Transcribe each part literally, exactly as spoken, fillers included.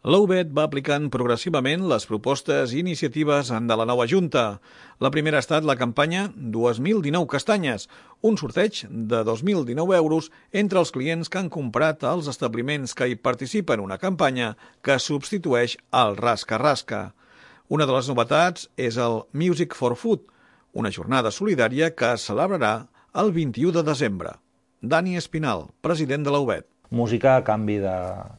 L'U B E T va aplicant progressivament les propostes i iniciatives de la nova Junta. La primera ha estat la campanya dos mil dinou castanyes, un sorteig de dos mil dinou euros entre els clients que han comprat als establiments que hi participen, una campanya que substitueix el rasca-rasca. Una de les novetats és el Music for Food, una jornada solidària que es celebrarà el vint-i-u de desembre. Dani Espinal, president de l'U B E T. Música a canvi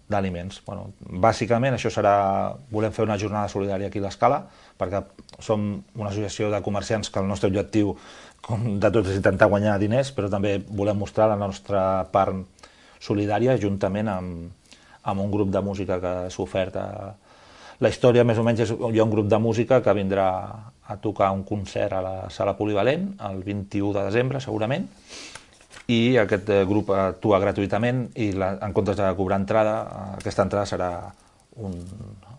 d'aliments. Bueno, bàsicament això serà... Volem fer una jornada solidària aquí a l'Escala, perquè som una associació de comerciants que el nostre objectiu, com de tots, és intentar guanyar diners, però també volem mostrar la nostra part solidària juntament amb, amb un grup de música que s'ha ofert. La història, més o menys, és hi ha un grup de música que vindrà a tocar un concert a la Sala Polivalent el vint-i-u de desembre, segurament, i aquest grup actua gratuïtament i la, en comptes de cobrar entrada, aquesta entrada serà un,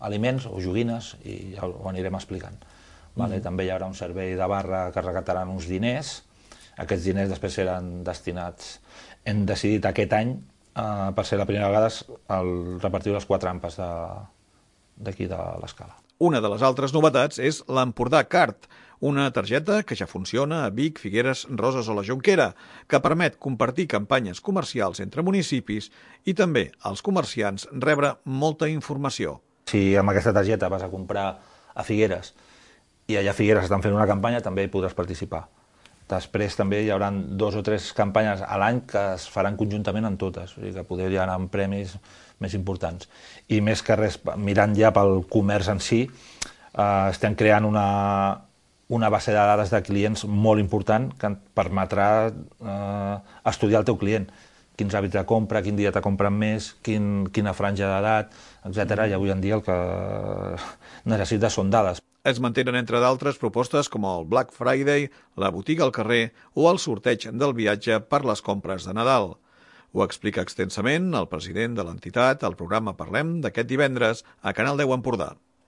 aliments o joguines i ja ho anirem explicant. Vale? Mm. També hi haurà un servei de barra que recaptaran uns diners. Aquests diners després seran destinats, hem decidit aquest any, eh, per ser la primera vegada, el repartir les quatre ampes d'aquí de, de l'Escala. Una de les altres novetats és l'Empordà Card, una targeta que ja funciona a Vic, Figueres, Roses o la Jonquera, que permet compartir campanyes comercials entre municipis i també als comerciants rebre molta informació. Si amb aquesta targeta vas a comprar a Figueres i allà a Figueres estan fent una campanya, també hi podràs participar. Després també hi haurà dos o tres campanyes a l'any que es faran conjuntament en totes, o sigui que poder anar amb premis més importants. I més que res, mirant ja pel comerç en si, eh, estem creant una, una base de dades de clients molt important que permetrà eh, estudiar el teu client. Quins hàbits de compra, quin dia te compren més, quin, quina franja d'edat, etcètera. I avui en dia el que necessites són dades. Es mantenen, entre d'altres, propostes com el Black Friday, la botiga al carrer o el sorteig del viatge per les compres de Nadal. Ho explica extensament el president de l'entitat al programa Parlem d'aquest divendres a Canal deu Empordà.